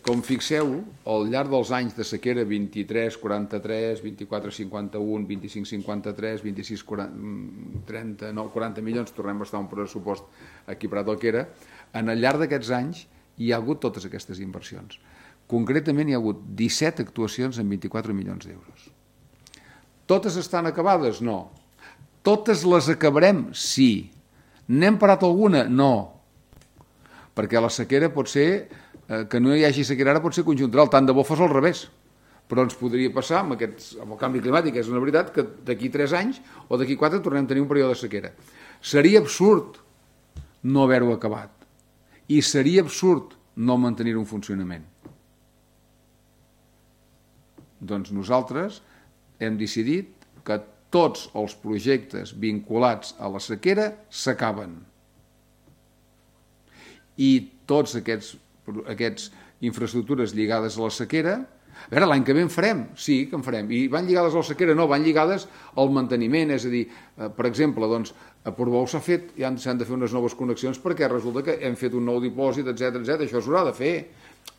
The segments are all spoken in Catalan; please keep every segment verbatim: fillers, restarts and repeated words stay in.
com fixeu, al llarg dels anys de sequera vint-i-tres quaranta-tres, vint-i-quatre cinquanta-u, vint-i-cinc cinquanta-tres, vint-i-sis trenta, no, quaranta milions, tornem a estar un pressupost equiparat al que era, en el llarg d'aquests anys hi ha hagut totes aquestes inversions. Concretament hi ha hagut disset actuacions amb vint-i-quatre milions d'euros. Totes estan acabades? No. Totes les acabarem? Sí. N'hem parat alguna? No. Perquè la sequera pot ser, eh, que no hi hagi sequera ara pot ser conjuntural, tant de bo fos al revés. Però ens podria passar amb, aquests, amb el canvi climàtic, és una veritat, que d'aquí tres anys o d'aquí quatre tornem a tenir un període de sequera. Seria absurd no haver-ho acabat. I seria absurd no mantenir un funcionament. Doncs nosaltres hem decidit que tots els projectes vinculats a la sequera s'acaben. I tots aquests, aquests infraestructures lligades a la sequera, a veure, l'any que ve en farem, sí que en farem, i van lligades a la sequera, no, van lligades al manteniment, és a dir, per exemple, doncs, a Portbou s'ha fet, ja s'han de fer unes noves connexions perquè resulta que hem fet un nou dipòsit, etcètera, etcètera, això s'haurà de fer,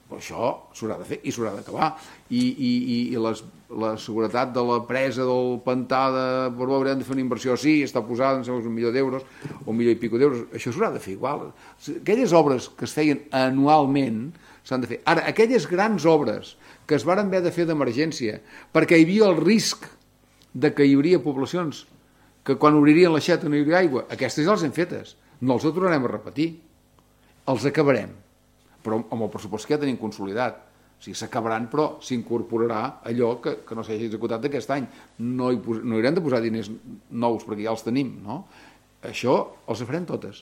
però això s'haurà de fer i s'haurà d'acabar, i, i, i les, la seguretat de la presa del pantà de Portbou haurem de fer una inversió, sí, està posada, em sembla un milió d'euros, o un milió i pico d'euros, això s'haurà de fer igual. Aquelles obres que es feien anualment s'han de fer. Ara, aquelles grans obres que es varen haver de fer d'emergència perquè hi havia el risc de que hi hauria poblacions que quan obririen l'aixeta no hi hauria aigua, aquestes ja les hem fetes, no els tornarem a repetir, els acabarem, però amb el pressupost que ja tenim consolidat. O sigui, s'acabaran, però s'incorporarà allò que, que no s'hagi executat aquest any. No hi, no hi haurem de posar diners nous perquè ja els tenim, no? Això els farem totes.